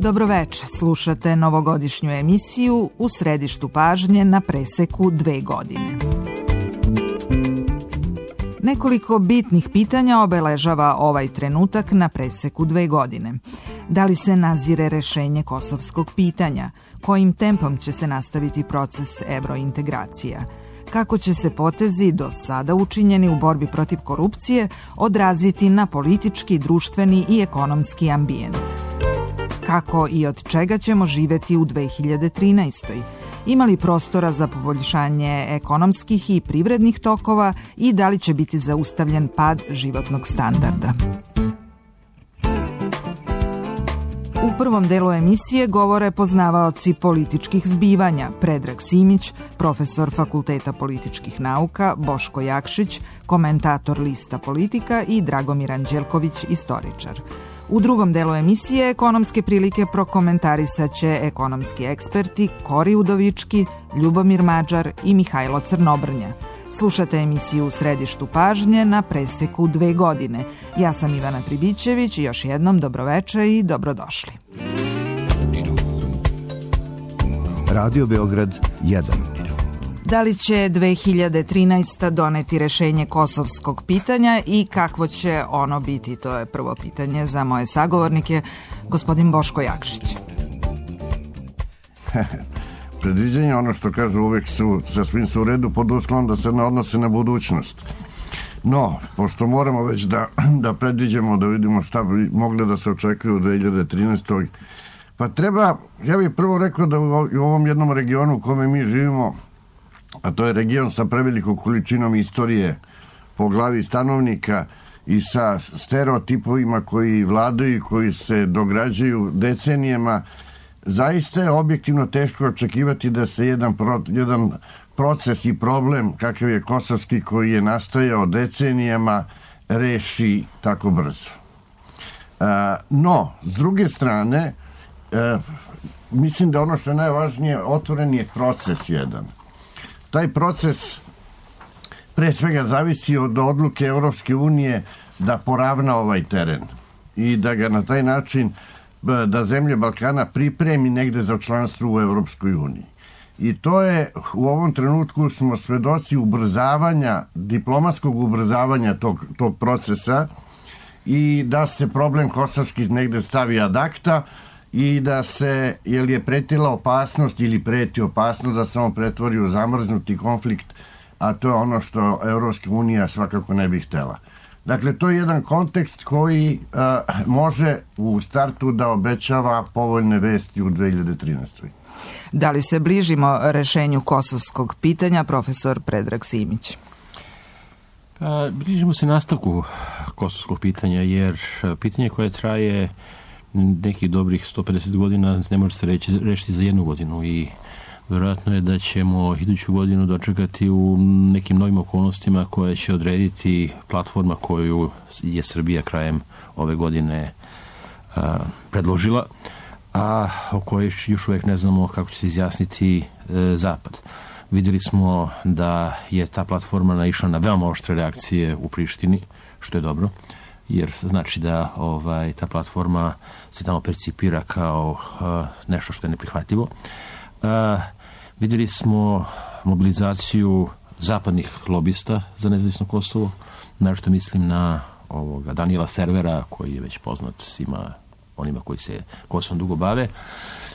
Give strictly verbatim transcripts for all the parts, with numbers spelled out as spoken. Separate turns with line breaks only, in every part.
Dobroveče, slušate novogodišnju emisiju U središtu pažnje na preseku dve godine. Nekoliko bitnih pitanja obeležava ovaj trenutak na preseku dve godine. Da li se nazire rešenje kosovskog pitanja? Kojim tempom će se nastaviti proces evrointegracija? Kako će se potezi do sada učinjeni u borbi protiv korupcije odraziti na politički, društveni i ekonomski ambijent? Kako i od čega ćemo živeti u dve hiljade trinaestoj? Ima li prostora za poboljšanje ekonomskih i privrednih tokova i da li će biti zaustavljen pad životnog standarda? U prvom delu emisije govore poznavaoci političkih zbivanja Predrag Simić, profesor Fakulteta političkih nauka, Boško Jakšić, komentator Lista Politika i Dragomir Anđelković, istoričar. U drugom delu emisije ekonomske prilike prokomentarisat će ekonomski eksperti Kori Udovički, Ljubomir Mađar i Mihajlo Crnobrnja. Slušate emisiju U središtu pažnje na preseku dve godine. Ja sam Ivana Pribićević i još jednom dobroveče i dobrodošli.
Radio Beograd jedan.
Da li će dve hiljade trinaesta. doneti rešenje kosovskog pitanja i kakvo će ono biti? To je prvo pitanje za moje sagovornike, gospodin Boško Jakšić.
Predviđenja, ono što kažu, uvek su, sa svim su u redu pod uslovom da se ne odnose na budućnost. No, pošto moramo već da, da predviđamo, da vidimo šta bi mogli da se očekuje u dve hiljade trinaestoj. Pa treba, ja bih prvo rekao da u ovom jednom regionu u kome mi živimo, a to je region sa prevelikom količinom istorije po glavi stanovnika i sa stereotipovima koji vladaju i koji se dograđuju decenijama, zaista je objektivno teško očekivati da se jedan, pro, jedan proces i problem kakav je kosovski, koji je nastajao decenijama, reši tako brzo. E, no, s druge strane, e, mislim da ono što je najvažnije, otvoren je proces jedan. Taj proces pre svega zavisi od odluke Evropske unije da poravna ovaj teren i da ga na taj način, da zemlje Balkana pripremi negde za članstvo u Evropskoj uniji. I to je, u ovom trenutku smo svedoci ubrzavanja, diplomatskog ubrzavanja tog, tog procesa i da se problem kosovski negde stavi ad acta i da se, jer je pretila opasnost ili preti opasnost da se on pretvori u zamrznuti konflikt, a to je ono što Evropska unija svakako ne bi htela. Dakle, to je jedan kontekst koji uh, može u startu da obećava povoljne vesti u dve hiljade trinaestoj.
Da li se bližimo rešenju kosovskog pitanja, profesor Predrag Simić?
Pa, bližimo se nastavku kosovskog pitanja, jer pitanje koje traje nekih dobrih sto pedeset godina ne može se reći, rešiti za jednu godinu i vjerojatno je da ćemo iduću godinu dočekati u nekim novim okolnostima koje će odrediti platforma koju je Srbija krajem ove godine a, predložila, a o kojoj još uvijek ne znamo kako će se izjasniti e, Zapad. Vidjeli smo da je ta platforma naišla na veoma oštre reakcije u Prištini, što je dobro, jer znači da ovaj, ta platforma se tamo percipira kao uh, nešto što je neprihvatljivo. Uh, vidjeli smo mobilizaciju zapadnih lobista za nezavisno Kosovo, naročito mislim na ovoga Daniela Servera, koji je već poznat svima onima koji se Kosovom dugo bave.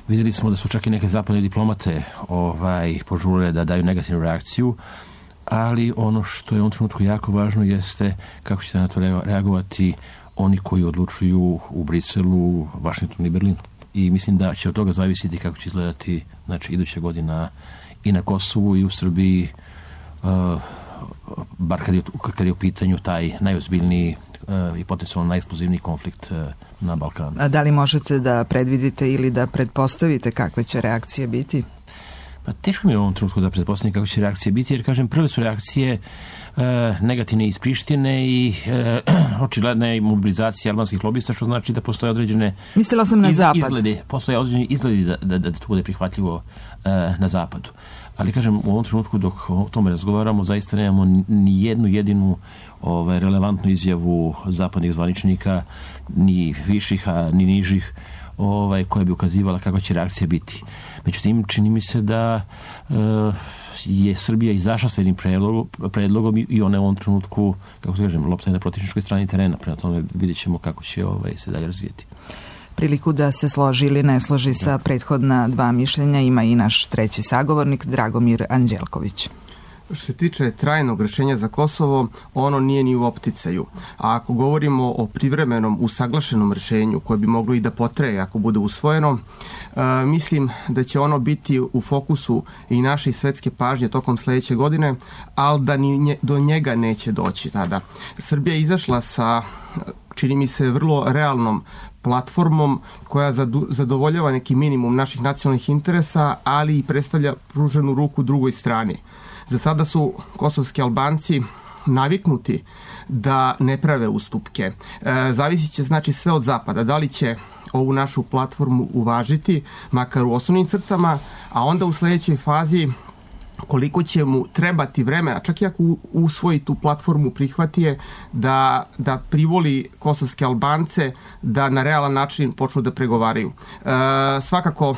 Vidjeli smo da su čak i neke zapadne diplomate ovaj, požurile da daju negativnu reakciju, ali ono što je u ovom trenutku jako važno jeste kako će na to reagovati oni koji odlučuju u Briselu, Vašingtonu i Berlinu. I mislim da će od toga zavisiti kako će izgledati, znači, iduća godina i na Kosovu i u Srbiji, uh, bar kad je, kad je u pitanju taj najozbiljniji uh, i potencijalno najeksplozivniji konflikt uh, na Balkanu. A
da li možete da predvidite ili da pretpostavite kakve će reakcije biti?
Pa teško mi je u ovom trenutku da pretpostavim kako će reakcije biti, jer, kažem, prve su reakcije e, negativne iz Prištine i e, očigledne i mobilizacije albanskih lobista, što znači da postoje određene
Mislila sam na
iz,
zapad.
izgledi, postoje određeni izgledi da, da, da to bude prihvatljivo e, na zapadu. Ali kažem, u ovom trenutku dok o tome razgovaramo, zaista nemamo ni jednu jedinu ovaj, relevantnu izjavu zapadnih zvaničnika, ni viših, a ni nižih, ovaj, koja bi ukazivala kakva će reakcija biti. Međutim, čini mi se da e, je Srbija izašla s jednim predlogom, predlogom i ona je u ovom trenutku, kako se kažem, lopta je na protivničkoj strani terena. Prema tome vidjet ćemo kako će ovaj, se dalje razvijeti.
Priliku da se složi ili ne složi sa prethodna dva mišljenja ima i naš treći sagovornik Dragomir Anđelković.
Što se tiče trajnog rješenja za Kosovo, ono nije ni u opticaju. A ako govorimo o privremenom usaglašenom rješenju koje bi moglo i da potraje ako bude usvojeno, e, mislim da će ono biti u fokusu i naše svetske pažnje tokom sljedeće godine, ali da ni nje, do njega neće doći tada. Srbija je izašla sa, čini mi se, vrlo realnom platformom koja zadovoljava neki minimum naših nacionalnih interesa, ali i predstavlja pruženu ruku drugoj strani. Za sada su kosovski Albanci naviknuti da ne prave ustupke. E, zavisit će znači sve od zapada. Da li će ovu našu platformu uvažiti, makar u osnovnim crtama, a onda u sljedećoj fazi koliko će mu trebati vremena, čak i ako usvoji tu platformu, prihvati je da, da privoli kosovske Albance da na realan način počnu da pregovaraju. E, svakako,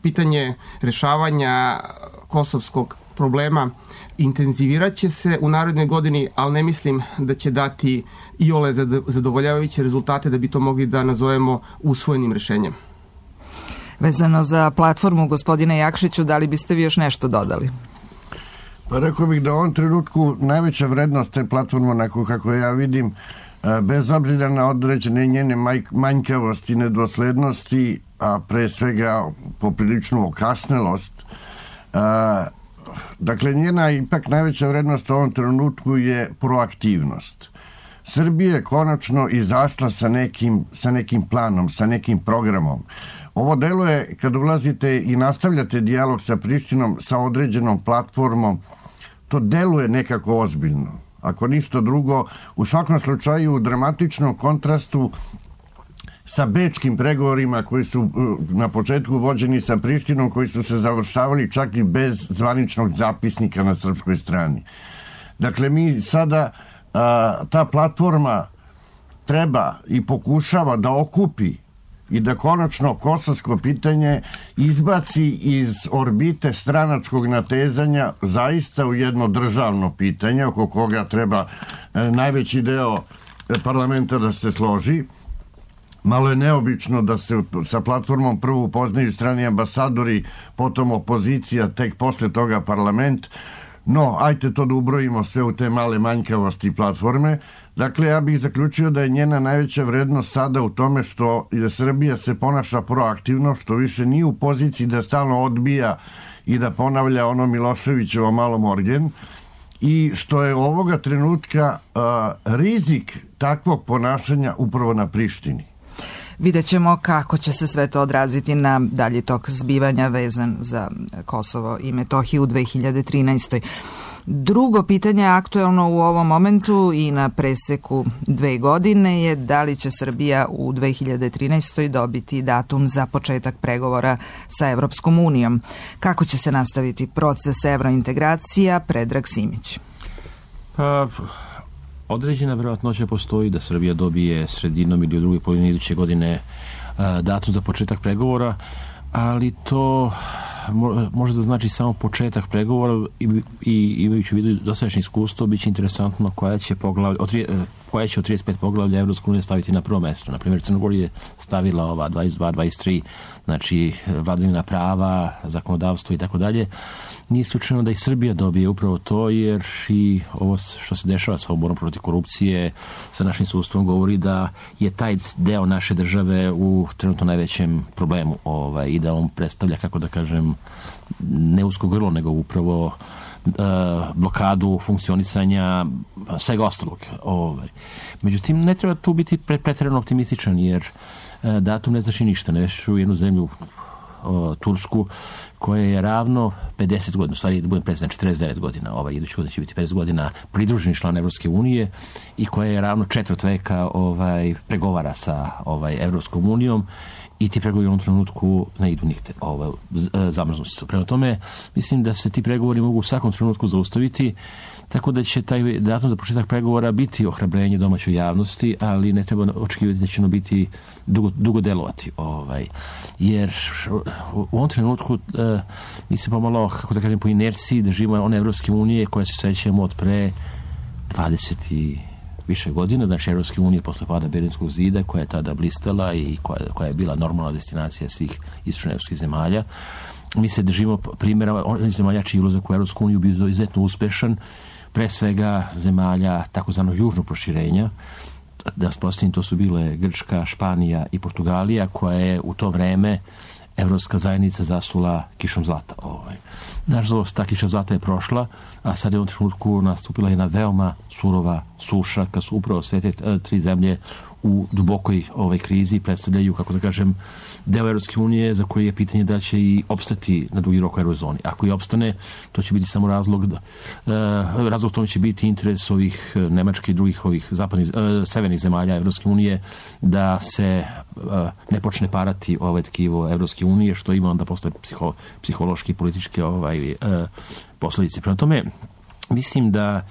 pitanje rešavanja kosovskog problema intenzivirat će se u narednoj godini, ali ne mislim da će dati iole zadovoljavajuće rezultate da bi to mogli da nazovemo usvojenim rješenjem.
Vezano za platformu, gospodine Jakšiću, da li biste vi još nešto dodali?
Pa rekao bih da u ovom trenutku najveća vrednost te platforme, onako kako ja vidim, bez obzira na određene njene manjkavosti, nedoslednosti, a pre svega popriličnu okasnelost, dakle, njena ipak najveća vrednost u ovom trenutku je proaktivnost. Srbija je konačno izašla sa nekim, sa nekim planom, sa nekim programom. Ovo deluje, kad ulazite i nastavljate dijalog sa Prištinom, sa određenom platformom, to deluje nekako ozbiljno. Ako ništa drugo, u svakom slučaju u dramatičnom kontrastu sa bečkim pregovorima koji su na početku vođeni sa Prištinom, koji su se završavali čak i bez zvaničnog zapisnika na srpskoj strani. Dakle, mi sada, a, ta platforma treba i pokušava da okupi i da konačno kosovsko pitanje izbaci iz orbite stranačkog natezanja zaista u jedno državno pitanje oko koga treba e, najveći deo parlamenta da se složi. Malo je neobično da se sa platformom prvo upoznaju strani ambasadori, potom opozicija, tek posle toga parlament. No, ajte to da ubrojimo sve u te male manjkavosti platforme. Dakle, ja bih zaključio da je njena najveća vrednost sada u tome što je Srbija se ponaša proaktivno, što više nije u poziciji da stalno odbija i da ponavlja ono Miloševićevo malo morgen, i što je ovoga trenutka uh, rizik takvog ponašanja upravo na Prištini.
Vidjet ćemo kako će se sve to odraziti na dalji tok zbivanja vezan za Kosovo i Metohiju u dve hiljade trinaestoj. Drugo pitanje aktuelno u ovom momentu i na preseku dve godine je da li će Srbija u dve hiljade trinaestoj dobiti datum za početak pregovora sa Evropskom unijom. Kako će se nastaviti proces evrointegracija? Predrag Simić.
Pa, određena vjerojatnoća postoji da Srbija dobije sredinom ili u drugoj polovini iduće godine datum za početak pregovora, ali to može da znači samo početak pregovora i, i imajući u vidu dosadašnje iskustvo, bit će interesantno koja će, poglavlja, od, koja će od trideset pet poglavlja Evropska unija staviti na prvo mesto. Naprimjer, Crna Gora je stavila ova dvadeset dva dvadeset tri, znači vladavina prava, zakonodavstvo i tako dalje. Nije slučajno da i Srbija dobije upravo to, jer i ovo što se dešava sa oborom protiv korupcije, sa našim sudstvom, govori da je taj deo naše države u trenutno najvećem problemu ovaj, i da on predstavlja, kako da kažem, ne usko grlo, nego upravo uh, blokadu funkcionisanja svega ostalog. Ovaj. Međutim, ne treba tu biti pretjerano optimističan, jer uh, datum ne znači ništa. Ne u jednu zemlju, uh, Tursku, koje je ravno pedeset godina, u stvari da budem prezan, četrdeset devet godina, ovaj idući godin će biti pedeset godina pridruženi član Evropske unije i koje je ravno četvrt veka ovaj, pregovara sa ovaj, Evropskom unijom i ti pregovori u ovom trenutku ne idu nigde, ovaj, zamrznuti su. Prema tome, mislim da se ti pregovori mogu u svakom trenutku zaustaviti, tako da će taj datum za početak pregovora biti ohrabrenje domaćoj javnosti, ali ne treba očekivati da će ono biti dugo, dugo delovati. Ovaj. Jer u ovom trenutku uh, mi se pomalo, kako da kažem, po inerciji da živimo one Evropske unije koje se sećamo od pre dvadeset i više godina, znači Evropske unije posle pada Berlinskog zida, koja je tada blistala i koja, koja je bila normalna destinacija svih istočnoevropskih zemalja. Mi se držimo primjera onih zemalja čiji ulazak u Evropsku uniju bio izuzetno uspešan, pre svega zemalja takozvanog južnog proširenja. Da spostavim, to su bile Grčka, Španija i Portugalija, koja je u to vreme Evropska zajednica zasula kišom zlata. Ovaj. Nažalost, ta kiša zlata je prošla, a sad je u ovom trenutku nastupila jedna veoma surova suša, kad su upravo sve te tri zemlje u dubokoj ovaj krizi predstavljaju, kako da kažem, deo Evropske unije za koji je pitanje da će i opstati na dugi rok u eurozoni. Ako i opstane, to će biti samo razlog da, uh, razlog tome će biti interes ovih Nemačke i drugih ovih zapadnih, uh, severnih zemalja Evropske unije da se uh, ne počne parati ovaj tkivo Evropske unije, što ima onda posle psiho, psihološki i političke ovaj, uh, posledice. Prema tome, mislim da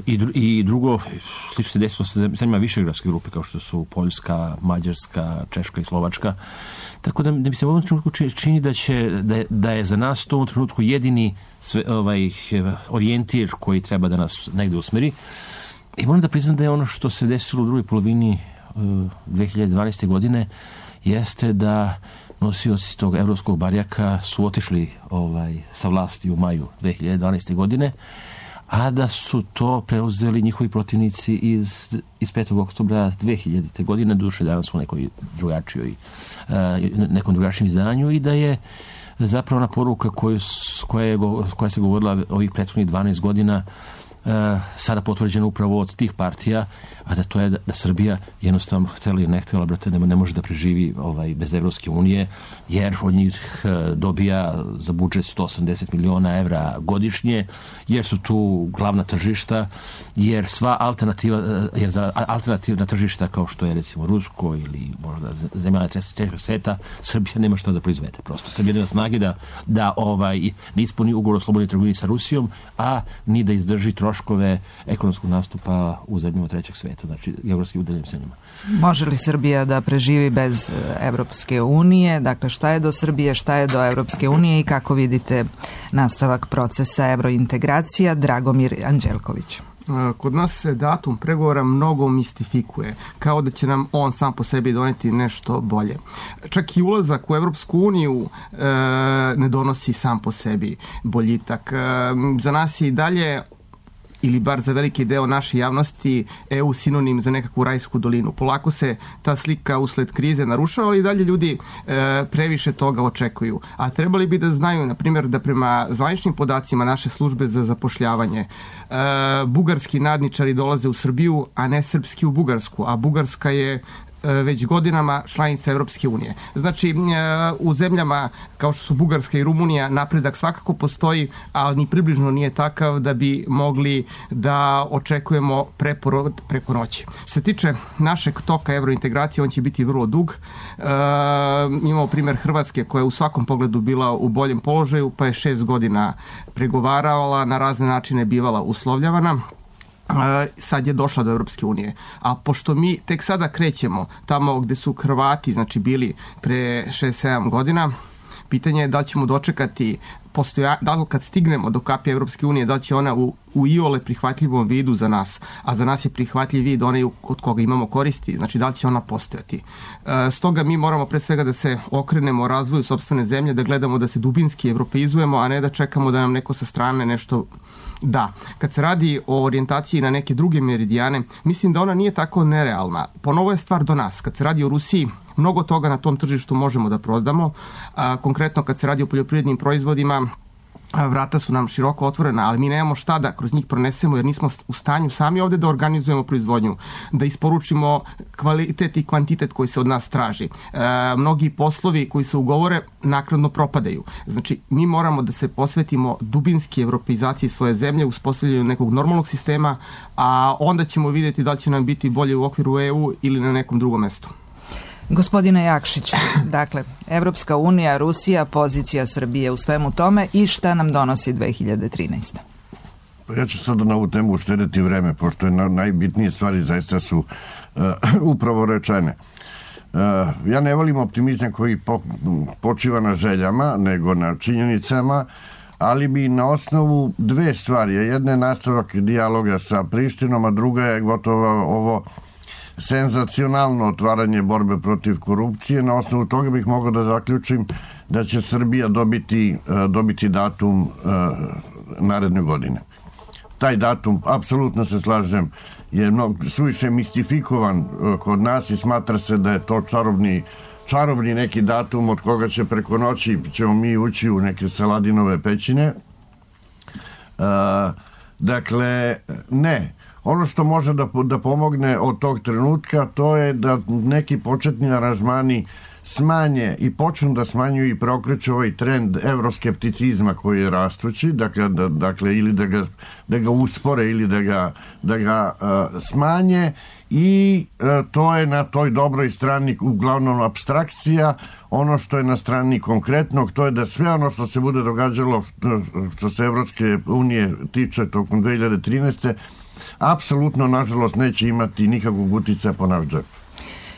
I, i drugo, slično se desilo sa zemljama višegradske grupe, kao što su Poljska, Mađarska, Češka i Slovačka. Tako da, da mi se u ovom trenutku čini da, će, da, je, da je za nas to u ovom trenutku jedini sve, ovaj, orijentir koji treba da nas negde usmeri. I moram da priznam da je ono što se desilo u drugoj polovini uh, dve hiljade dvanaeste. godine jeste da nosioci tog evropskog barjaka su otišli ovaj, sa vlasti u maju dve hiljade dvanaeste. godine, a da su to preuzeli njihovi protivnici iz, iz petog oktobra dve hiljadite. godine, duše danas u nekoj drugačijoj, nekom drugačijem izdanju, i da je zapravo ona poruka koju, koja, je, koja se govorila ovih prethodnih dvanaest godina sada potvrđeno upravo od tih partija, a da to je da, da Srbija jednostavno htjela ili ne htjela, brate, ne, ne može da preživi ovaj, bez Evropske unije, jer od njih dobija za budžet sto osamdeset miliona evra godišnje, jer su tu glavna tržišta, jer sva alternativa, jer za alternativna tržišta kao što je recimo Rusko ili možda zemalja trećeg sveta, Srbija nema što da proizvede. Prosto Srbija nema snage da, da ovaj, ne ispuni ugovor o slobodnoj trgovini sa Rusijom, a ni da izdrži troškove ekonomskog nastupa u zemljama trećeg sveta, znači geografski udaljenim zemljama.
Može li Srbija da preživi bez Evropske unije? Dakle, šta je do Srbije, šta je do Evropske unije i kako vidite nastavak procesa evrointegracija? Dragomir Anđelković.
Kod nas se datum pregovora mnogo mistifikuje, kao da će nam on sam po sebi doneti nešto bolje. Čak i ulazak u Evropsku uniju e, ne donosi sam po sebi boljitak. E, za nas je i dalje, ili bar za veliki deo naše javnosti, E U sinonim za nekakvu rajsku dolinu. Polako se ta slika usled krize narušava, ali i dalje ljudi e, previše toga očekuju. A trebali bi da znaju, na primjer, da prema zvaničnim podacima naše službe za zapošljavanje e, bugarski nadničari dolaze u Srbiju, a ne srpski u Bugarsku, a Bugarska je već godinama članica Evropske unije. Znači, u zemljama kao što su Bugarska i Rumunija napredak svakako postoji, ali ni približno nije takav da bi mogli da očekujemo preporod preko noći. Što se tiče našeg toka evrointegracije, on će biti vrlo dug. E, imamo primjer Hrvatske koja je u svakom pogledu bila u boljem položaju, pa je šest godina pregovaravala, na razne načine bivala uslovljavana. Sad je došla do Evropske unije. A pošto mi tek sada krećemo tamo gde su Hrvati, znači bili pre šest sedam godina, pitanje je da li ćemo dočekati postoja, da li kad stignemo do kapije Evropske unije, da li će ona u, u iole prihvatljivom vidu za nas, a za nas je prihvatljiv vid onaj od koga imamo koristi, znači da li će ona postojati. E, stoga mi moramo pre svega da se okrenemo o razvoju sopstvene zemlje, da gledamo da se dubinski evropeizujemo, a ne da čekamo da nam neko sa strane nešto da. Kad se radi o orijentaciji na neke druge meridijane, mislim da ona nije tako nerealna. Ponovo je stvar do nas. Kad se radi o Rusiji, mnogo toga na tom tržištu možemo da prodamo. A, konkretno kad se radi o poljoprivrednim proizvodima, vrata su nam široko otvorena, ali mi nemamo šta da kroz njih pronesemo, jer nismo u stanju sami ovde da organizujemo proizvodnju, da isporučimo kvalitet i kvantitet koji se od nas traži. E, mnogi poslovi koji se ugovore naknadno propadaju. Znači, mi moramo da se posvetimo dubinski evropeizaciji svoje zemlje, uspostavljanju nekog normalnog sistema, a onda ćemo vidjeti da li će nam biti bolje u okviru E U ili na nekom drugom mestu.
Gospodine Jakšiću, dakle, Evropska unija, Rusija, pozicija Srbije u svemu tome i šta nam donosi dve hiljade trinaesta.
Pa ja ću sada na ovu temu uštedeti vreme, pošto je na, najbitnije stvari zaista su uh, upravo rečene. Uh, ja ne volim optimizam koji po, počiva na željama, nego na činjenicama, ali bi na osnovu dve stvari. Jedna je nastavak dijaloga sa Prištinom, a druga je gotovo ovo senzacionalno otvaranje borbe protiv korupcije. Na osnovu toga bih mogao da zaključim da će Srbija dobiti, dobiti datum naredne godine. Taj datum, apsolutno se slažem, je mnogo suviše mistifikovan kod nas i smatra se da je to čarobni, čarobni neki datum od koga će preko noći ćemo mi ući u neke Saladinove pećine. Dakle, ne. Ono što može da, da pomogne od tog trenutka, to je da neki početni aranžmani smanje i počnu da smanjuju i preokreću ovaj trend evroskepticizma koji je rastući, dakle, da, dakle ili da ga, da ga uspore ili da ga, da ga uh, smanje i uh, to je na toj dobroj strani uglavnom apstrakcija. Ono što je na strani konkretnog, to je da sve ono što se bude događalo što se Evropske unije tiče tokom dve hiljade trinaeste apsolutno, nažalost, neće imati nikakvog uticaja po naš džep.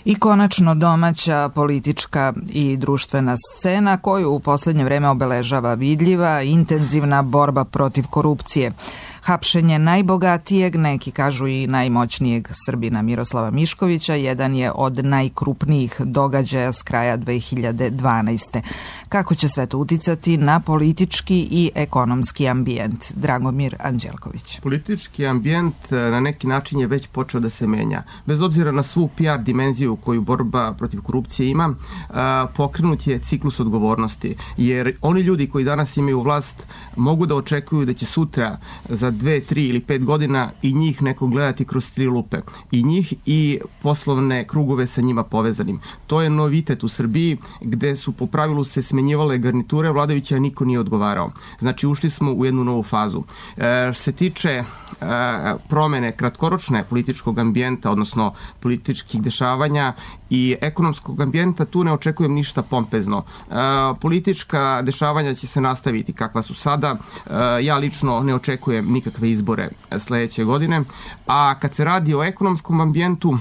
I konačno domaća politička i društvena scena koju u posljednje vreme obeležava vidljiva, intenzivna borba protiv korupcije. Hapšenje najbogatijeg, neki kažu i najmoćnijeg Srbina Miroslava Miškovića, jedan je od najkrupnijih događaja s kraja dve hiljade dvanaeste. Kako će sve to uticati na politički i ekonomski ambijent? Dragomir Anđelković.
Politički ambijent na neki način je već počeo da se menja. Bez obzira na svu P R dimenziju koju borba protiv korupcije ima, pokrenut je ciklus odgovornosti. Jer oni ljudi koji danas imaju vlast mogu da očekuju da će sutra za dve, tri ili pet godina i njih neko gledati kroz tri lupe. I njih i poslovne krugove sa njima povezanim. To je novitet u Srbiji gde su po pravilu se smenjivale garniture vladajuća, a niko nije odgovarao. Znači, ušli smo u jednu novu fazu. E, što se tiče e, promene kratkoročne političkog ambijenta, odnosno političkih dešavanja i ekonomskog ambijenta, tu ne očekujem ništa pompezno. E, politička dešavanja će se nastaviti kakva su sada. E, ja lično ne očekujem nikakve izbore sledeće godine. A kad se radi o ekonomskom ambijentu,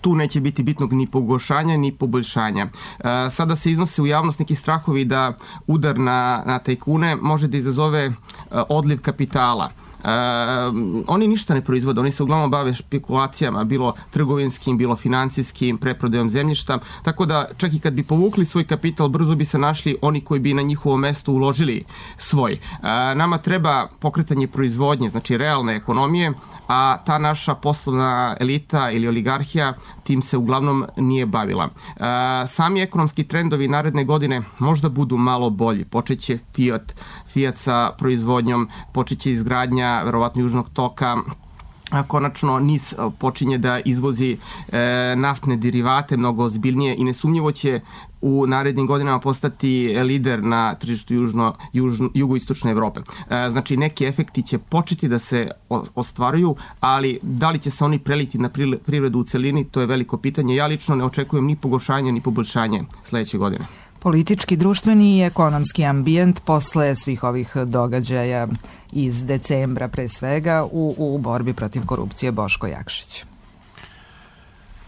tu neće biti bitnog ni pogoršanja ni poboljšanja. E, sada se iznose u javnost neki strahovi da udar na, na tajkune može da izazove e, odliv kapitala. E, oni ništa ne proizvode, oni se uglavnom bave špekulacijama, bilo trgovinskim, bilo financijskim, preprodajom zemljišta, tako da čak i kad bi povukli svoj kapital, brzo bi se našli oni koji bi na njihovo mesto uložili svoj. E, nama treba pokretanje proizvodnje, znači realne ekonomije, a ta naša poslovna elita ili oligarhija tim se uglavnom nije bavila. E, sami ekonomski trendovi naredne godine možda budu malo bolji. Počeće Fiat, Fiat sa proizvodnjom, počeće izgradnja verovatno južnog toka, a konačno N I S počinje da izvozi e, naftne derivate mnogo ozbiljnije i nesumnjivo će u narednim godinama postati lider na tržištu južno, južno, jugoistočne Evrope. E, znači, neki efekti će početi da se ostvaruju, ali da li će se oni preliti na privredu u celini, to je veliko pitanje. Ja lično ne očekujem ni pogoršanje, ni poboljšanje sledeće godine.
Politički, društveni i ekonomski ambijent posle svih ovih događaja iz decembra pre svega u, u borbi protiv korupcije. Boško Jakšić.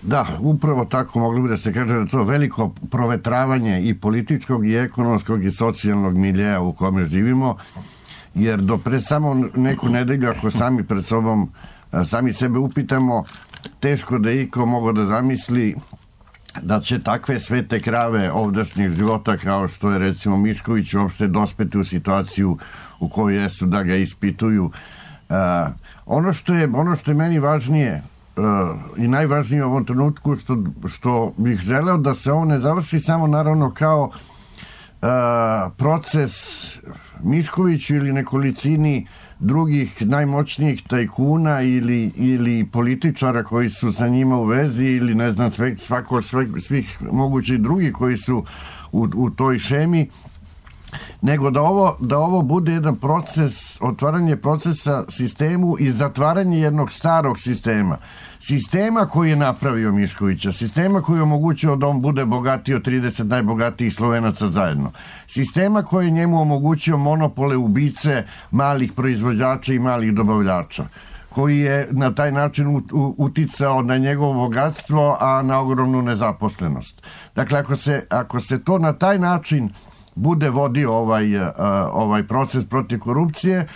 Da, upravo tako mogli bi da se kaže da je to veliko provetravanje i političkog i ekonomskog i socijalnog miljeja u kome živimo, jer do pre samo neku nedelju ako sami pred sobom sami sebe upitamo, teško da iko mogo da zamisli da će takve svete krave ovdašnjih života kao što je recimo Mišković uopšte dospeti u situaciju u kojoj jesu da ga ispituju. Uh, ono što je ono što je meni važnije uh, i najvažnije u ovom trenutku što, što bih želeo da se ovo ne završi samo naravno kao a, proces Miškoviću ili nekolicini drugih najmoćnijih tajkuna ili, ili političara koji su sa njima u vezi ili ne znam sve, svako, sve, svih mogućih drugih koji su u, u toj šemi, nego da ovo, da ovo bude jedan proces, otvaranje procesa sistemu i zatvaranje jednog starog sistema. Sistema koji je napravio Miškovića, sistema koji je omogućio da on bude bogatiji od trideset najbogatijih Slovenaca zajedno. Sistema koji je njemu omogućio monopole, ubice malih proizvođača i malih dobavljača, koji je na taj način uticao na njegovo bogatstvo, a na ogromnu nezaposlenost. Dakle, ako se, ako se to na taj način bude vodio ovaj, ovaj proces protiv korupcije,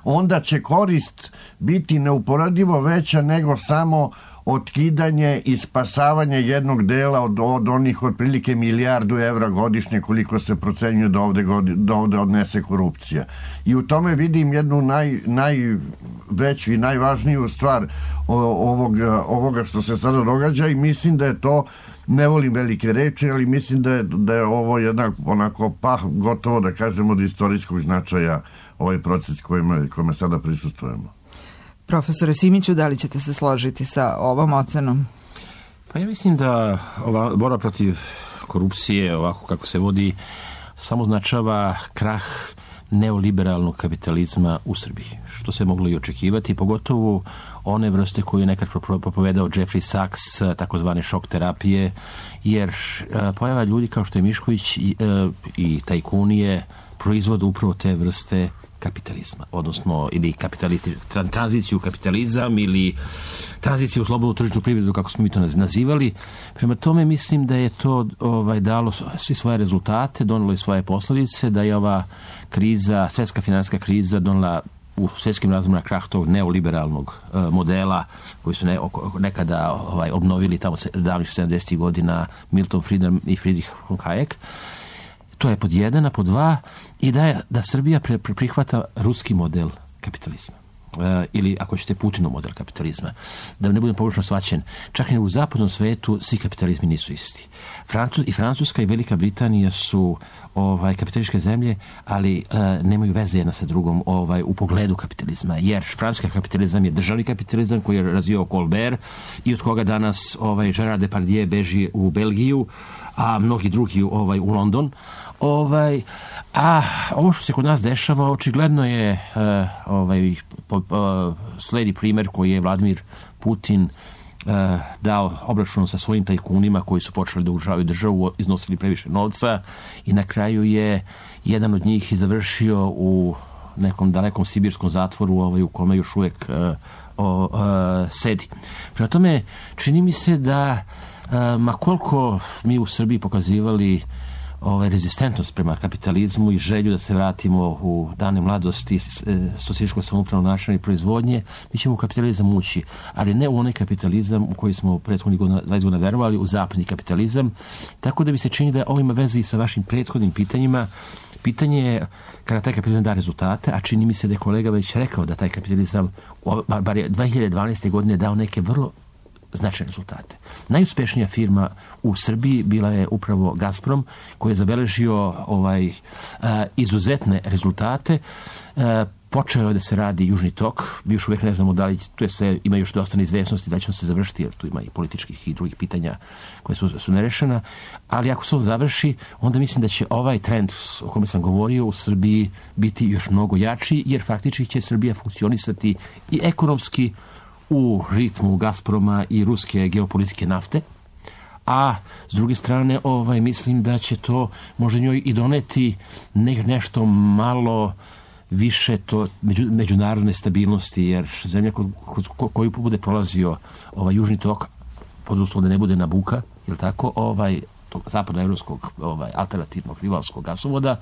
onda će korist biti neuporadivo veća nego samo otkidanje i spasavanje jednog dela od, od onih otprilike milijardu evra godišnje koliko se procenjuje da ovde, da ovde odnese korupcija. I u tome vidim jednu naj, najveću i najvažniju stvar ovoga, ovoga što se sada događa i mislim da je to, ne volim velike reči, ali mislim da je, da je ovo jednak onako pa gotovo da kažemo od istorijskog značaja ovaj proces kojima, kojima sada prisustvujemo.
Profesore Simiću, da li ćete se složiti sa ovom ocenom?
Pa ja mislim da ova borba protiv korupcije, ovako kako se vodi, samo značava krah neoliberalnog kapitalizma u Srbiji, što se moglo i očekivati, pogotovo one vrste koje je nekad propovedao Jeffrey Sachs, takozvane šok terapije, jer pojava ljudi kao što je Mišković i, i tajkunije proizvode upravo te vrste kapitalizma, odnosno ili kapitalisti, tranziciju u kapitalizam ili tranziciju u slobodnu tržišnu privredu, kako smo mi to nazivali. Prema tome mislim da je to ovaj, dalo svi svoje rezultate, donelo i svoje posljedice, da je ova kriza, svjetska finansijska kriza donela u svjetskim razmjerima krah tog neoliberalnog uh, modela koji su ne, nekada ovaj, obnovili tamo davnih sedamdesetih godina Milton Friedman i Friedrich von Hayek. To je pod jedan, a pod dva i da, je, da Srbija pre, pre, prihvata ruski model kapitalizma. E, ili, ako ćete, Putinov model kapitalizma. Da ne budem pogrešno shvaćen, čak i u zapadnom svetu svi kapitalizmi nisu isti. Francus, I Francuska i Velika Britanija su ovaj, kapitalističke zemlje, ali e, nemaju veze jedna sa drugom ovaj, u pogledu kapitalizma. Jer francuski kapitalizam je državni kapitalizam koji je razvio Colbert i od koga danas ovaj, Gerard Depardieu beži u Belgiju, a mnogi drugi ovaj, u London. Ovaj, a ovo što se kod nas dešava očigledno je uh, ovaj, po, uh, sledi primjer koji je Vladimir Putin uh, dao obračun sa svojim tajkunima koji su počeli da ugrožavaju državu, iznosili previše novca i na kraju je jedan od njih i završio u nekom dalekom sibirskom zatvoru ovaj, u kome još uvijek uh, o, uh, sedi. Prema tome čini mi se da uh, ma koliko mi u Srbiji pokazivali ovaj, rezistentnost prema kapitalizmu i želju da se vratimo u dane mladosti socijalističkog samoupravnog načina i proizvodnje, mi ćemo u kapitalizam ući, ali ne u onaj kapitalizam u koji smo prethodnih dvadeset godina verovali, u zapadni kapitalizam. Tako da mi se čini da ovo ima veze i sa vašim prethodnim pitanjima. Pitanje je kada taj kapitalizam da rezultate, a čini mi se da je kolega već rekao da taj kapitalizam bar je dve hiljade dvanaeste. godine dao neke vrlo značajne rezultate. Najuspešnija firma u Srbiji bila je upravo Gazprom, koji je zabeležio ovaj, uh, izuzetne rezultate. Uh, počeo je da se radi Južni tok. Mi još uvijek ne znamo da li tu je se, ima još dosta neizvesnosti da će on se završiti, jer tu ima i političkih i drugih pitanja koje su, su nerešena. Ali ako se on završi, onda mislim da će ovaj trend o kome sam govorio u Srbiji biti još mnogo jači, jer faktički će Srbija funkcionisati i ekonomski u ritmu Gazproma i ruske geopolitike nafte, a s druge strane ovaj, mislim da će to možda njoj i doneti ne, nešto malo više to među, međunarodne stabilnosti, jer zemlja ko, ko, koju bude prolazio ovaj Južni tok, pod uslovom da ne bude Nabuka, je li tako, ovaj, tog zapadnoevropskog ovaj, alternativnog rivalskog gasovoda,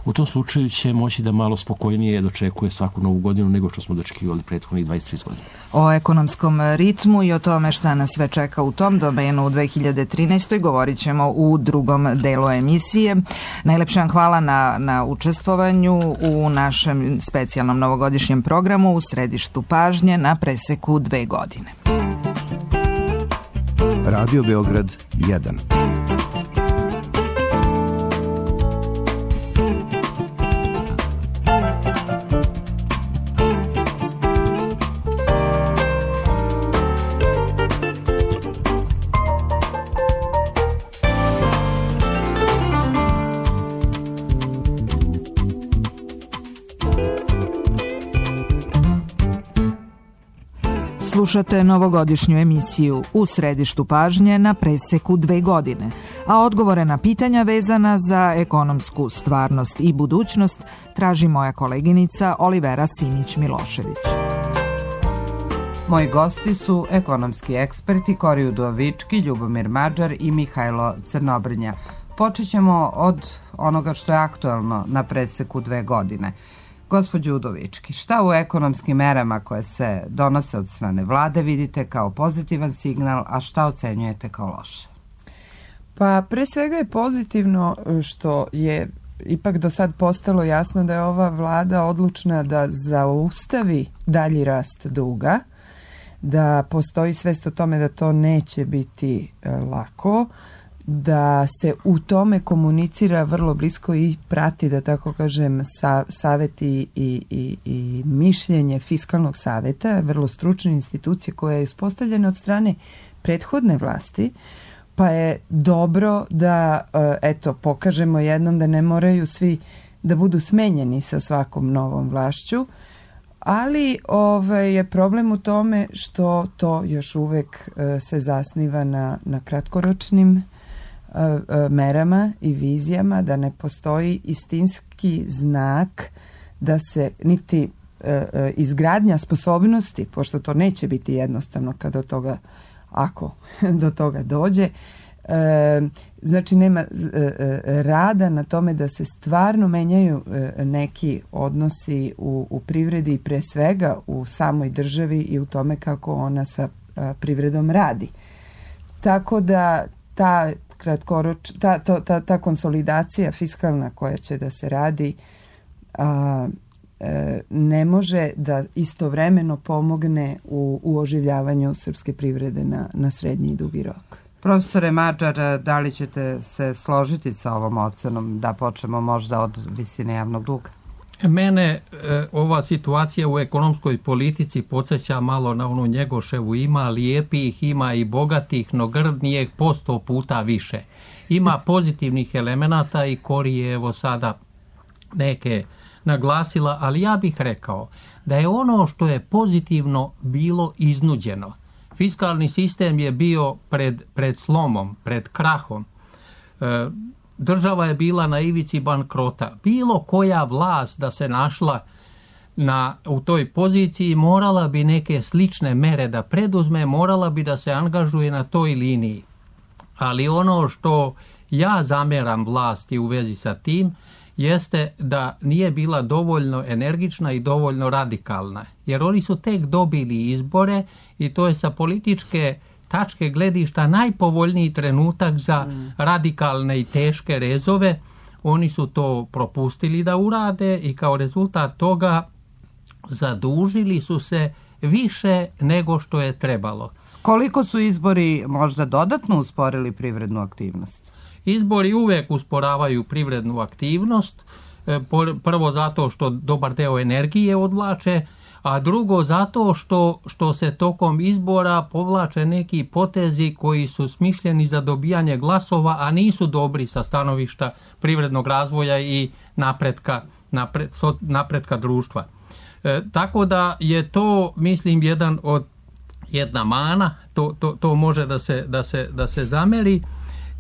u tom slučaju će moći da malo spokojnije dočekuje svaku novu godinu nego što smo dočekivali prethodnih dvadeset tri godina.
O ekonomskom ritmu i o tome šta nas sve čeka u tom domenu u dve hiljade trinaestoj. govorit ćemo u drugom delu emisije. Najlepše vam hvala na, na učestvovanju u našem specijalnom novogodišnjem programu u središtu pažnje na preseku dve godine.
Radio Beograd jedan.
Slušate novogodišnju emisiju U središtu pažnje na preseku dve godine, a odgovore na pitanja vezana za ekonomsku stvarnost i budućnost traži moja koleginica Olivera Simić-Milošević.
Moji gosti su ekonomski eksperti Kori Udovički, Ljubomir Mađar i Mihajlo Crnobrnja. Počet ćemo od onoga što je aktuelno na preseku dve godine. Gospođo Udovički, šta u ekonomskim merama koje se donose od strane vlade vidite kao pozitivan signal, a šta ocenjujete kao loše?
Pa pre svega je pozitivno što je ipak do sad postalo jasno da je ova vlada odlučna da zaustavi dalji rast duga, da postoji svest o tome da to neće biti lako, da se u tome komunicira vrlo blisko i prati, da tako kažem, sa, saveti i, i, i mišljenje Fiskalnog saveta, vrlo stručne institucije koja je uspostavljena od strane prethodne vlasti, pa je dobro da eto, pokažemo jednom da ne moraju svi da budu smenjeni sa svakom novom vlašću, ali ovaj, je problem u tome što to još uvek se zasniva na, na kratkoročnim merama i vizijama, da ne postoji istinski znak da se niti e, izgradnja sposobnosti, pošto to neće biti jednostavno kad do toga, ako do toga dođe, e, znači nema e, rada na tome da se stvarno menjaju e, neki odnosi u, u privredi i pre svega u samoj državi i u tome kako ona sa a, privredom radi. Tako da ta kratkoroč, ta, ta, ta, ta konsolidacija fiskalna koja će da se radi a, e, ne može da istovremeno pomogne u, u oživljavanju srpske privrede na, na srednji i dugi rok.
Profesore Mađar, da li ćete se složiti sa ovom ocenom, da počnemo možda od visine javnog duga?
Mene e, ova situacija u ekonomskoj politici podsjeća malo na onu Njegoševu, ima lijepih, ima i bogatih, no grdnijeg po sto puta više. Ima pozitivnih elemenata i Kori je evo sada neke naglasila, ali ja bih rekao da je ono što je pozitivno bilo iznuđeno. Fiskalni sistem je bio pred, pred slomom, pred krahom. E, Država je bila na ivici bankrota. Bilo koja vlast da se našla na, u toj poziciji morala bi neke slične mere da preduzme, morala bi da se angažuje na toj liniji. Ali ono što ja zameram vlasti u vezi sa tim jeste da nije bila dovoljno energična i dovoljno radikalna. Jer oni su tek dobili izbore i to je sa političke tačke gledišta najpovoljniji trenutak za radikalne i teške rezove. Oni su to propustili da urade i kao rezultat toga zadužili su se više nego što je trebalo.
Koliko su izbori možda dodatno usporili privrednu aktivnost?
Izbori uvek usporavaju privrednu aktivnost, prvo zato što dobar deo energije odvlače, a drugo zato što, što se tokom izbora povlače neki potezi koji su smišljeni za dobijanje glasova, a nisu dobri sa stanovišta privrednog razvoja i napretka, napred, napretka društva. E, tako da je to, mislim, jedan od, jedna mana, to, to, to može da se, da, se, da se zameri.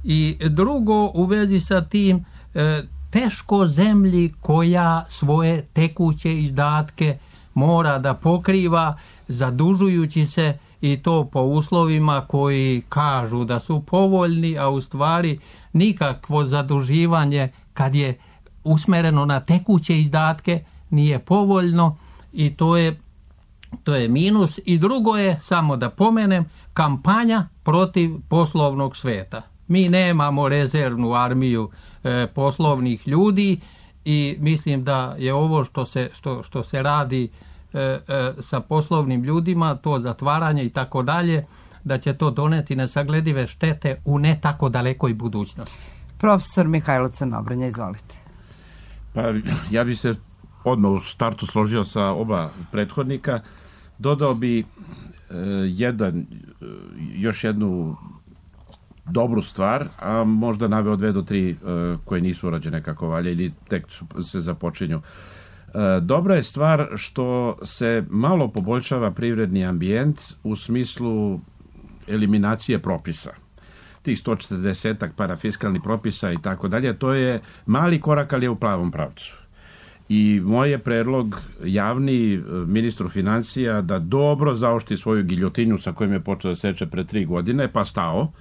I drugo, u vezi sa tim, e, teško zemlji koja svoje tekuće izdatke mora da pokriva zadužujući se i to po uslovima koji kažu da su povoljni, a u stvari nikakvo zaduživanje kad je usmereno na tekuće izdatke nije povoljno i to je, to je minus. I drugo je, samo da pomenem, kampanja protiv poslovnog sveta. Mi nemamo rezervnu armiju e, poslovnih ljudi i mislim da je ovo što se, što, što se radi e, e, sa poslovnim ljudima, to zatvaranje i tako dalje, da će to doneti nesagledive štete u ne tako dalekoj budućnosti.
Profesor Mihajlo Crnobrnja, izvolite.
Pa ja bi se odmah u startu složio sa oba prethodnika. Dodao bi e, jedan, e, još jednu dobru stvar, a možda naveo dve do tri e, koje nisu urađene kako valja ili tek su, se započinju. E, Dobra je stvar što se malo poboljšava privredni ambijent u smislu eliminacije propisa. Tih sto četrdesetak parafiskalnih propisa i tako dalje, to je mali korak, ali je u pravom pravcu. I moj je predlog javni ministru financija da dobro zaoštri svoju giljotinu sa kojom je počeo da seče pre tri godine, pa stao,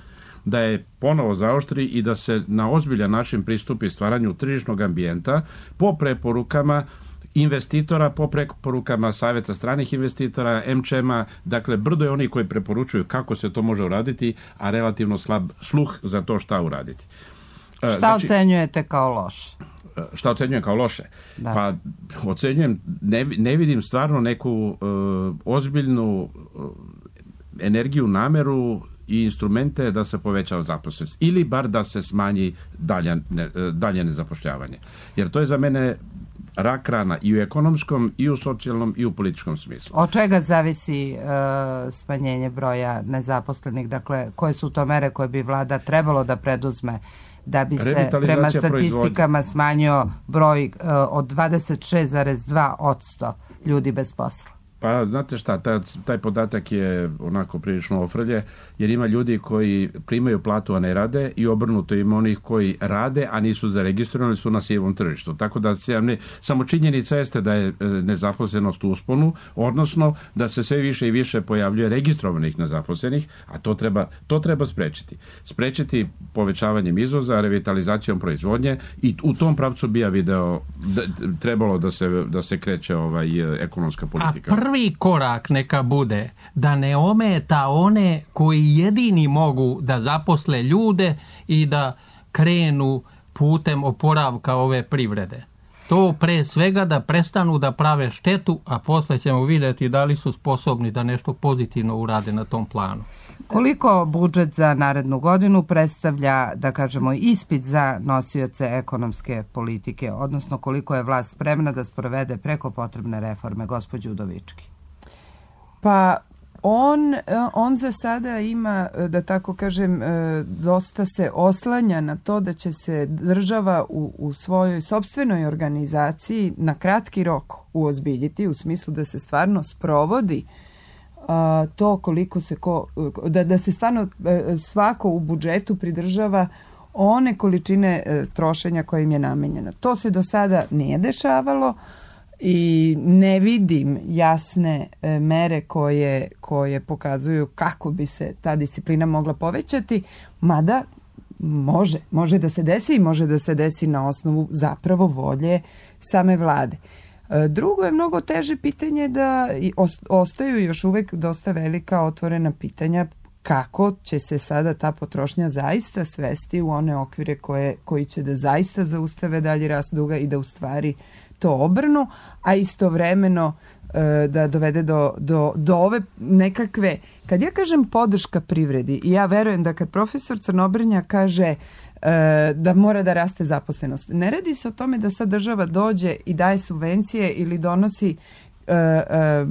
da je ponovo zaoštri i da se na ozbiljan način pristupi stvaranju tržišnog ambijenta po preporukama investitora, po preporukama Saveta stranih investitora, em če ema, dakle brdo je oni koji preporučuju kako se to može uraditi, a relativno slab sluh za to šta uraditi.
Šta znači, ocenjujete kao loše?
Šta ocenjujem kao loše?
Da.
Pa ocenjujem, ne, ne vidim stvarno neku uh, ozbiljnu uh, energiju, nameru i instrumente da se poveća zaposlenost ili bar da se smanji dalje, ne, dalje nezapošljavanje. Jer to je za mene rak rana i u ekonomskom, i u socijalnom, i u političkom smislu.
Od čega zavisi e, smanjenje broja nezaposlenih? Dakle, koje su to mere koje bi vlada trebalo da preduzme da bi se prema statistikama smanjio broj e, od dvadeset šest zarez dva posto ljudi bez posla?
Pa, znate šta, taj, taj podatak je onako prilično ofrlje, jer ima ljudi koji primaju platu, a ne rade, i obrnuto ima onih koji rade, a nisu zaregistrovani, su na sivom tržištu. Tako da se, ne, samo činjenica jeste da je nezaposlenost u usponu, odnosno da se sve više i više pojavljuje registrovanih nezaposlenih, a to treba, to treba sprečiti. Sprečiti povećavanjem izvoza, revitalizacijom proizvodnje, i u tom pravcu bi ja video da, trebalo da se, da se kreće ovaj, ekonomska politika.
Prvi korak neka bude da ne ometa one koji jedini mogu da zaposle ljude i da krenu putem oporavka ove privrede. To pre svega da prestanu da prave štetu, a posle ćemo vidjeti da li su sposobni da nešto pozitivno urade na tom planu.
Koliko budžet za narednu godinu predstavlja, da kažemo, ispit za nosioce ekonomske politike, odnosno koliko je vlast spremna da sprovede preko potrebne reforme, gospođo Udovički?
Pa on, on za sada ima, da tako kažem, dosta se oslanja na to da će se država u, u svojoj sopstvenoj organizaciji na kratki rok uozbiljiti, u smislu da se stvarno sprovodi a, to koliko se ko, da, da se stvarno svako u budžetu pridržava one količine trošenja koje im je namenjeno. To se do sada nije dešavalo i ne vidim jasne e, mere koje, koje pokazuju kako bi se ta disciplina mogla povećati, mada može, može da se desi i može da se desi na osnovu zapravo volje same vlade. E, drugo je mnogo teže pitanje da ostaju još uvek dosta velika otvorena pitanja kako će se sada ta potrošnja zaista svesti u one okvire koje, koji će da zaista zaustave dalji rast duga i da u stvari to obrnu, a istovremeno e, da dovede do, do, do ove nekakve, kad ja kažem podrška privredi, i ja verujem da kad profesor Crnobrnja kaže e, da mora da raste zaposlenost, ne radi se o tome da sad država dođe i daje subvencije ili donosi e, e,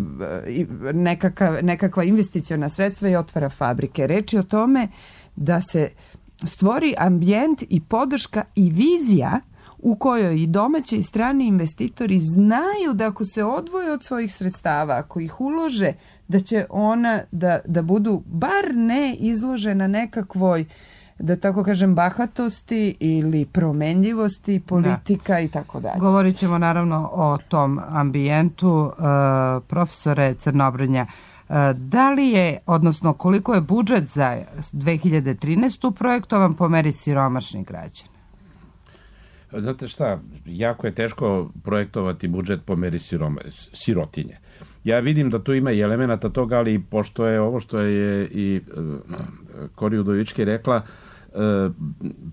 nekakav, nekakva investiciona sredstva i otvara fabrike. Reč je o tome da se stvori ambijent i podrška i vizija u kojoj i domaći i strani investitori znaju da ako se odvoje od svojih sredstava, ako ih ulože, da će ona da, da budu bar ne izložena nekakvoj, da tako kažem, bahatosti ili promenljivosti politika, da, i tako dalje.
Govorit ćemo naravno o tom ambijentu. Uh, profesore Crnobrnja, uh, da li je, odnosno koliko je budžet za dve hiljade trinaestu projektovan po meri siromašnih građana?
Znate šta, jako je teško projektovati budžet po meri siroma, sirotinje. Ja vidim da tu ima i elemenata toga, ali pošto je ovo što je i Kori Udovički rekla,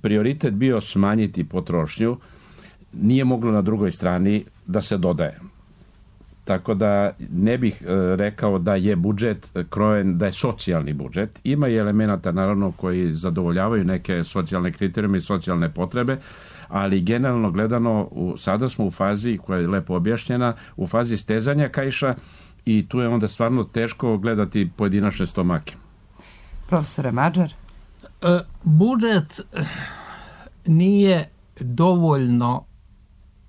prioritet bio smanjiti potrošnju, nije moglo na drugoj strani da se dodaje. Tako da ne bih rekao da je budžet krojen, da je socijalni budžet. Ima i elemenata naravno koji zadovoljavaju neke socijalne kriterijume i socijalne potrebe, ali generalno gledano u, sada smo u fazi koja je lepo objašnjena, u fazi stezanja kaiša, i tu je onda stvarno teško gledati pojedinačne stomake.
Profesore Mađar?
E, budžet nije dovoljno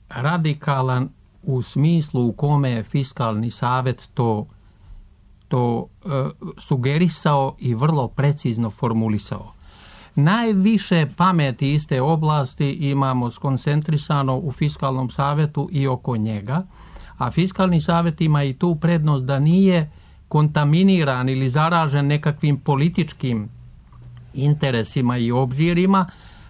radikalan u smislu u kome je Fiskalni savet to, to e, sugerisao i vrlo precizno formulisao. Najviše pameti iz te oblasti imamo skoncentrisano u Fiskalnom savetu i oko njega, a Fiskalni savet ima i tu prednost da nije kontaminiran ili zaražen nekakvim političkim interesima i obzirima.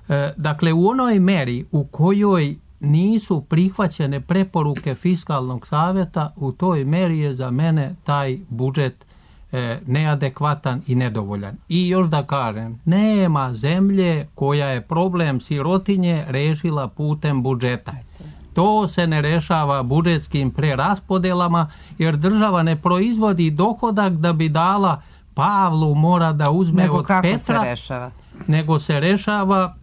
E, dakle, u onoj meri u kojoj nisu prihvaćene preporuke Fiskalnog saveta, u toj meri je za mene taj budžet e, neadekvatan i nedovoljan. I još da kažem, nema zemlje koja je problem sirotinje rešila putem budžeta. To se ne rešava budžetskim preraspodelama, jer država ne proizvodi dohodak da bi dala Pavlu, mora da uzme
nego
od
kako
Petra.
Se rešava?
Nego se rešava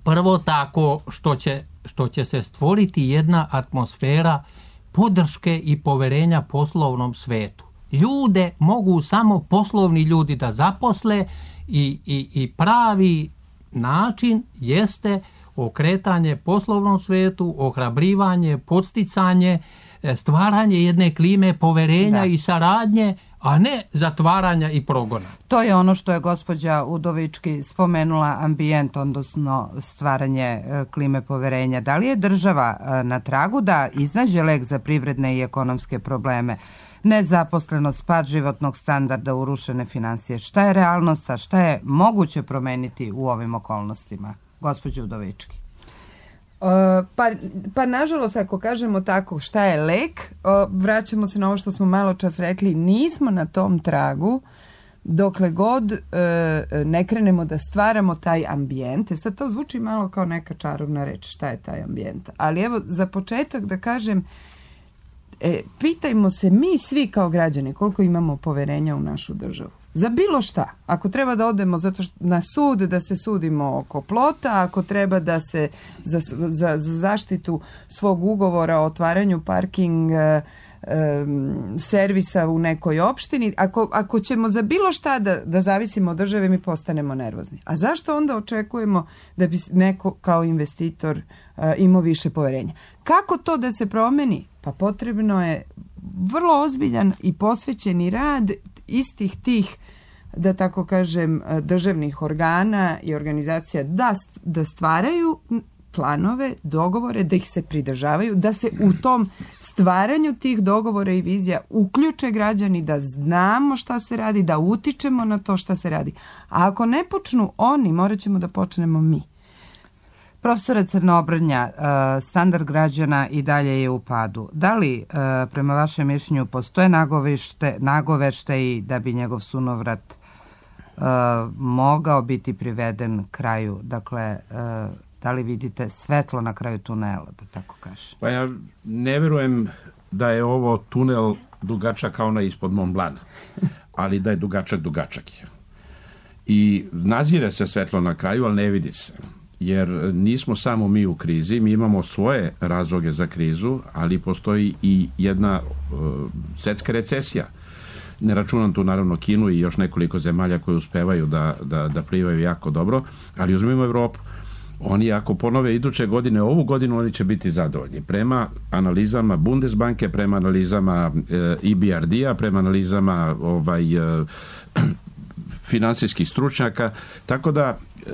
prvo tako što će, što će se stvoriti jedna atmosfera podrške i poverenja poslovnom svetu. Ljude mogu samo poslovni ljudi da zaposle i, i, i pravi način jeste okretanje poslovnom svetu, ohrabrivanje, podsticanje, stvaranje jedne klime poverenja da. I saradnje, a ne zatvaranja i progona.
To je ono što je gospođa Udovički spomenula, ambijent, odnosno stvaranje klime poverenja. Da li je država na tragu da iznađe lek za privredne i ekonomske probleme? Nezaposlenost, pad životnog standarda, urušene financije. Šta je realnost, a šta je moguće promeniti u ovim okolnostima? Gospođo Udovički.
Uh, pa, pa nažalost, ako kažemo tako šta je lek, uh, vraćamo se na ovo što smo malo čas rekli, nismo na tom tragu dokle god uh, ne krenemo da stvaramo taj ambijent. E sad to zvuči malo kao neka čarobna reč, šta je taj ambijent. Ali evo, za početak da kažem, e, pitajmo se mi svi kao građani koliko imamo poverenja u našu državu. Za bilo šta. Ako treba da odemo zato što na sud, da se sudimo oko plota, ako treba da se za, za, za zaštitu svog ugovora o otvaranju parking e, e, servisa u nekoj opštini, ako, ako ćemo za bilo šta da, da zavisimo od države, mi postanemo nervozni. A zašto onda očekujemo da bi neko kao investitor e, imao više poverenja? Kako to da se promeni? Pa potrebno je vrlo ozbiljan i posvećeni rad istih tih, da tako kažem, državnih organa i organizacija da, da stvaraju planove, dogovore, da ih se pridržavaju, da se u tom stvaranju tih dogovora i vizija uključe građani, da znamo šta se radi, da utičemo na to šta se radi. A ako ne počnu oni, morat ćemo da počnemo mi. Profesore Crnobrnja, standard građana i dalje je u padu. Da li, prema vašem mišljenju, postoje nagoveštaji da bi njegov sunovrat mogao biti priveden kraju? Dakle, da li vidite svetlo na kraju tunela, da tako kažem?
Pa ja ne verujem da je ovo tunel dugačak kao onaj ispod Mont Blanc, ali da je dugačak dugačak. I nazire se svetlo na kraju, ali ne vidi se. Jer nismo samo mi u krizi, mi imamo svoje razloge za krizu, ali postoji i jedna uh, svetska recesija. Ne računam tu naravno Kinu i još nekoliko zemalja koje uspevaju da, da, da plivaju jako dobro, ali uzmimo Evropu. Oni ako ponove iduće godine, ovu godinu oni će biti zadovoljni. Prema analizama Bundesbanke, prema analizama e B R D-a, prema analizama ovaj, e, finansijskih stručnjaka, tako da e,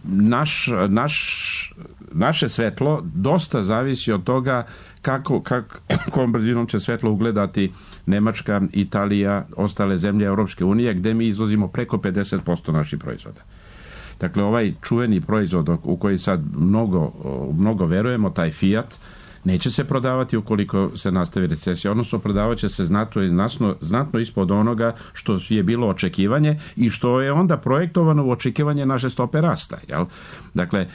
naš, naš, naše svetlo dosta zavisi od toga kako, kako, kom brzinom će svetlo ugledati Nemačka, Italija, ostale zemlje Europske unije, gde mi izvozimo preko pedeset posto naših proizvoda. Dakle, ovaj čuveni proizvod u koji sad mnogo, mnogo verujemo, taj Fiat, neće se prodavati ukoliko se nastavi recesija, odnosno prodavat će se znatno, znatno, znatno ispod onoga što je bilo očekivanje i što je onda projektovano u očekivanje naše stope rasta. Jel? Dakle,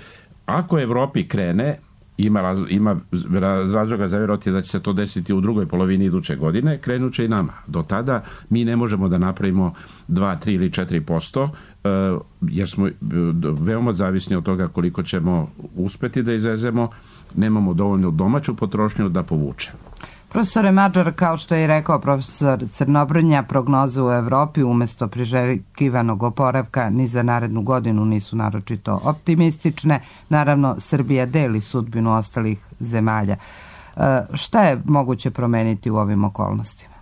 ako Evropi krene, ima, raz, ima razloga za vjerovati da će se to desiti u drugoj polovini iduće godine, krenut će i nama. Do tada mi ne možemo da napravimo dva, tri ili četiri posto, jer smo veoma zavisni od toga koliko ćemo uspeti da izvezemo, nemamo dovoljno domaću potrošnju da povuče.
Profesore Mađar, kao što je rekao profesor Crnobrnja, prognoze u Evropi umjesto priželjkivanog oporavka ni za narednu godinu nisu naročito optimistične. Naravno, Srbija deli sudbinu ostalih zemalja. Šta je moguće promeniti u ovim okolnostima?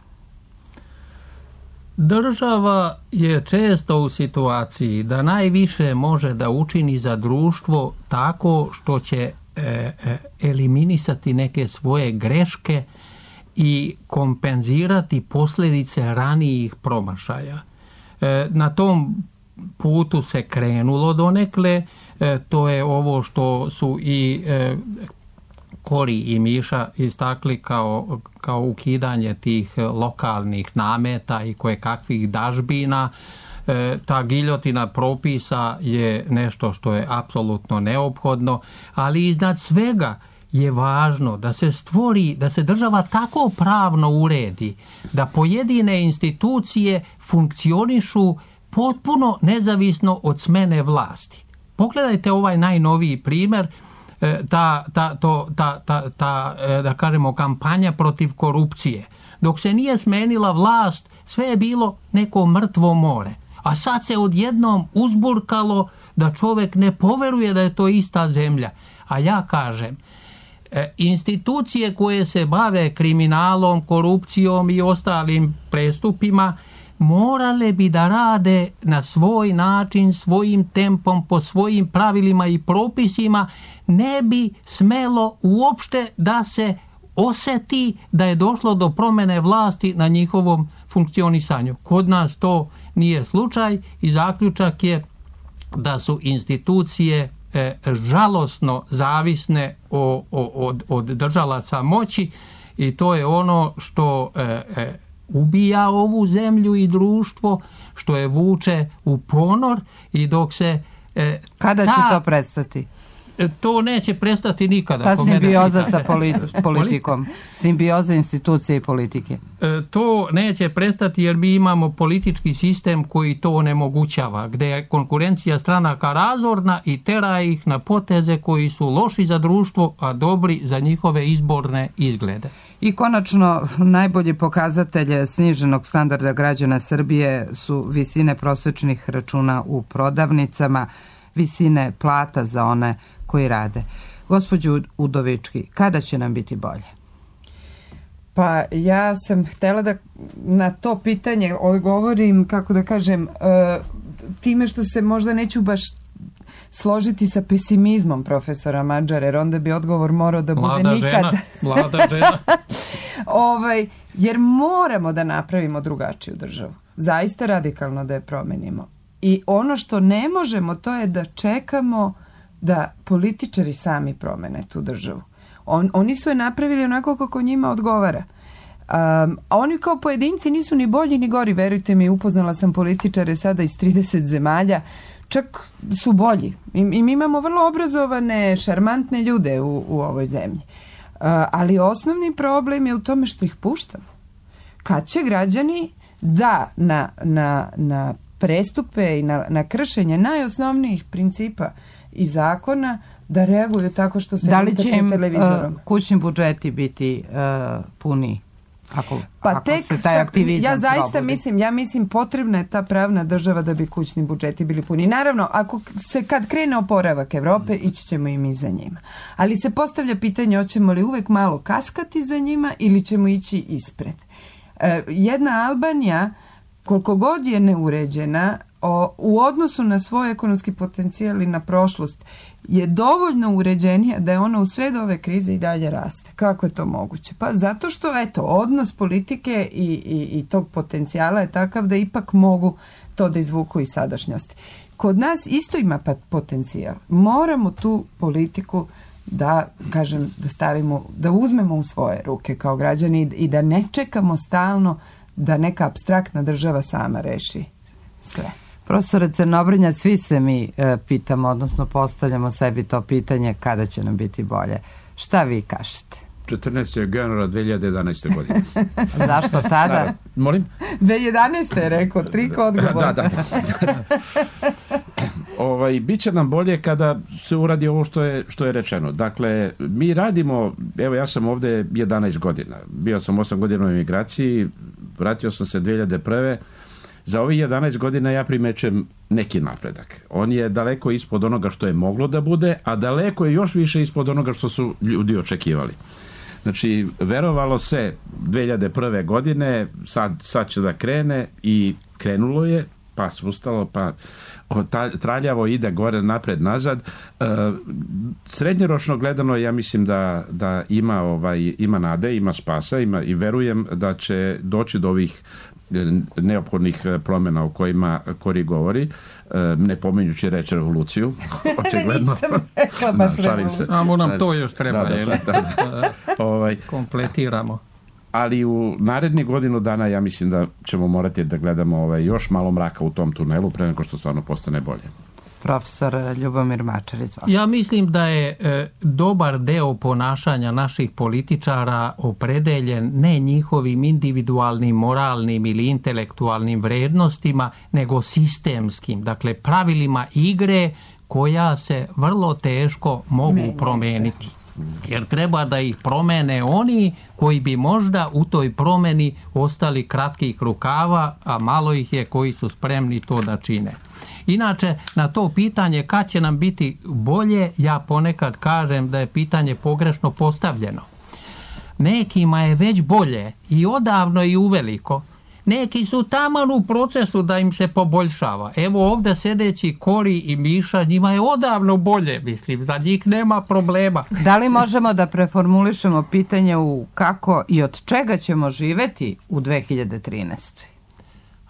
Država je često u situaciji da najviše može da učini za društvo tako što će e, e, eliminisati neke svoje greške i kompenzirati posljedice ranijih promašaja. E, na tom putu se krenulo donekle, e, to je ovo što su i e, Kori i Miša istakli kao, kao ukidanje tih lokalnih nameta i koje kakvih dažbina. E, ta giljotina propisa je nešto što je apsolutno neophodno, ali iznad svega je važno da se stvori, da se država tako pravno uredi, da pojedine institucije funkcionišu potpuno nezavisno od smene vlasti. Pogledajte ovaj najnoviji primjer, ta, ta, to, ta, ta, ta, da kažemo, kampanja protiv korupcije. Dok se nije smenila vlast, sve je bilo neko mrtvo more. A sad se odjednom uzburkalo da čovjek ne poveruje da je to ista zemlja. A ja kažem, institucije koje se bave kriminalom, korupcijom i ostalim prestupima morale bi da rade na svoj način, svojim tempom, po svojim pravilima i propisima, ne bi smelo uopšte da se osjeti da je došlo do promjene vlasti na njihovom funkcionisanju. Kod nas to nije slučaj i zaključak je da su institucije e, žalosno zavisne o, o, od, od držalaca moći i to je ono što e, e, ubija ovu zemlju i društvo, što je vuče u ponor i dok se... E,
Kada
ta,
će to prestati?
To neće prestati nikada.
Ta simbioza sa politi- politikom, simbioza institucije i politike.
E, to neće prestati jer mi imamo politički sistem koji to onemogućava, gdje je konkurencija stranaka razorna i tera ih na poteze koji su loši za društvo, a dobri za njihove izborne izglede.
I konačno, najbolji pokazatelj sniženog standarda građana Srbije su visine prosječnih računa u prodavnicama, visine plata za one koji rade. Gospođo Udovički, kada će nam biti bolje?
Pa ja sam htjela da na to pitanje odgovorim, kako da kažem, time što se možda neću baš složiti sa pesimizmom profesora Madžara, jer onda bi odgovor morao da bude
mlada
nikad.
Žena, mlada žena.
ovaj, jer moramo da napravimo drugačiju državu. Zaista radikalno da je promenimo. I ono što ne možemo, to je da čekamo da političari sami promene tu državu. On, oni su je napravili onako kako njima odgovara. Um, a oni kao pojedinci nisu ni bolji ni gori, verujte mi, upoznala sam političare sada iz trideset zemalja, čak su bolji. I, i mi imamo vrlo obrazovane, šarmantne ljude u, u ovoj zemlji. Uh, ali osnovni problem je u tome što ih puštamo. Kad će građani da na, na, na prestupe i na, na kršenje najosnovnijih principa i zakona da reaguju tako što se
da li će im
televizorom.
Uh, kućni budžeti biti uh, puni ako,
pa
ako
tek
se taj aktivizam
ja zaista
probudi.
mislim, ja mislim potrebna je ta pravna država da bi kućni budžeti bili puni. Naravno, ako se kad krene oporavak Evrope, ići ćemo i mi za njima. Ali se postavlja pitanje, hoćemo li uvek malo kaskati za njima ili ćemo ići ispred. Uh, jedna Albanija, koliko god je neuređena, o, u odnosu na svoj ekonomski potencijal i na prošlost, je dovoljno uređenija da je ona u sred ove krize i dalje raste. Kako je to moguće? Pa zato što, eto, odnos politike i, i, i tog potencijala je takav da ipak mogu to da izvuku iz sadašnjosti. Kod nas isto ima potencijal. Moramo tu politiku da, kažem, da stavimo, da uzmemo u svoje ruke kao građani i da ne čekamo stalno da neka apstraktna država sama reši sve.
Profesore Crnobrnja, svi se mi e, pitamo, odnosno postavljamo sebi to pitanje kada će nam biti bolje. Šta vi kažete?
četrnaestog januara dve hiljade jedanaeste. godine.
Zašto tada?
Da, molim?
dve hiljade jedanaeste je rekao, trik odgovor.
Da, da. da. ovaj, biće nam bolje kada se uradi ovo što je, što je rečeno. Dakle, mi radimo, evo ja sam ovde jedanaest godina. Bio sam osam godina u emigraciji, vratio sam se dve hiljade prve. Za ovih jedanaest godina ja primećem neki napredak. On je daleko ispod onoga što je moglo da bude, a daleko je još više ispod onoga što su ljudi očekivali. Znači, verovalo se dve hiljade prve. godine, sad, sad će da krene i krenulo je, pa se ustalo, pa traljavo ide gore, napred, nazad. E, srednjoročno gledano, ja mislim da, da ima, ovaj, ima nade, ima spasa, ima, i verujem da će doći do ovih neophodnih promjena o kojima Kori govori, ne pominjući reći revoluciju, očigledno.
Nisam rekla baš revoluciju.
A nam to još treba,
da, da,
je
da, da. ovaj,
kompletiramo.
Ali u narednih godinu dana ja mislim da ćemo morati da gledamo ovaj, još malo mraka u tom tunelu pre nego što stvarno postane bolje.
Profesor Ljubomir Mačar, izvolite.
Ja mislim da je e, dobar deo ponašanja naših političara opredeljen ne njihovim individualnim, moralnim ili intelektualnim vrednostima, nego sistemskim, dakle pravilima igre koja se vrlo teško mogu promeniti. Jer treba da ih promene oni koji bi možda u toj promeni ostali kratkih rukava, a malo ih je koji su spremni to da čine. Inače, na to pitanje kad će nam biti bolje, ja ponekad kažem da je pitanje pogrešno postavljeno. Nekima je već bolje i odavno i uveliko. Neki su taman u procesu da im se poboljšava. Evo ovdje sedeći Kori i Miša, njima je odavno bolje, mislim, za njih nema problema.
Da li možemo da preformulišemo pitanje u kako i od čega ćemo živeti u dve hiljade trinaestoj.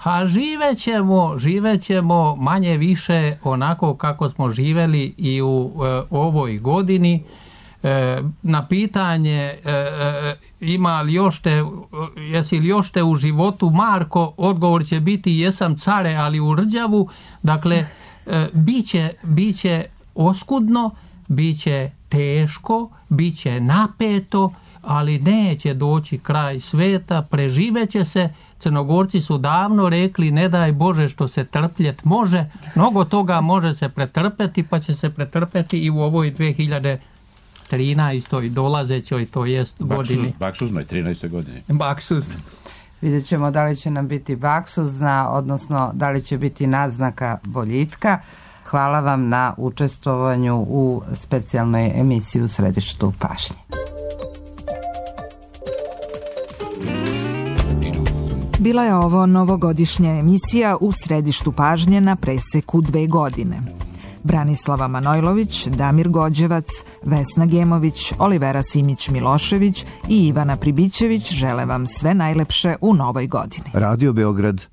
A živet ćemo, živet ćemo manje više onako kako smo živeli i u e, ovoj godini. E, na pitanje e, e, ima li još te, jesi li još te u životu, Marko, odgovor će biti jesam care, ali u rđavu. Dakle, e, biće, biće oskudno, biće teško, biće napeto, ali neće doći kraj sveta, preživeće se. Crnogorci su davno rekli, ne daj Bože što se trpljet može, mnogo toga može se pretrpeti, pa će se pretrpeti i u ovoj dve hiljade trinaestoj dolazećoj, to jest godini.
Baksuznoj trinaestoj godini.
Baksuz.
Vidjet ćemo da li će nam biti baksuzna, odnosno da li će biti naznaka boljitka. Hvala vam na učestvovanju u specijalnoj emisiji U središtu pažnje.
Bila je ovo novogodišnja emisija U središtu pažnje na preseku dve godine. Branislava Manojlović, Damir Gođevac, Vesna Gemović, Olivera Simić-Milošević i Ivana Pribićević žele vam sve najlepše u novoj godini.
Radio Beograd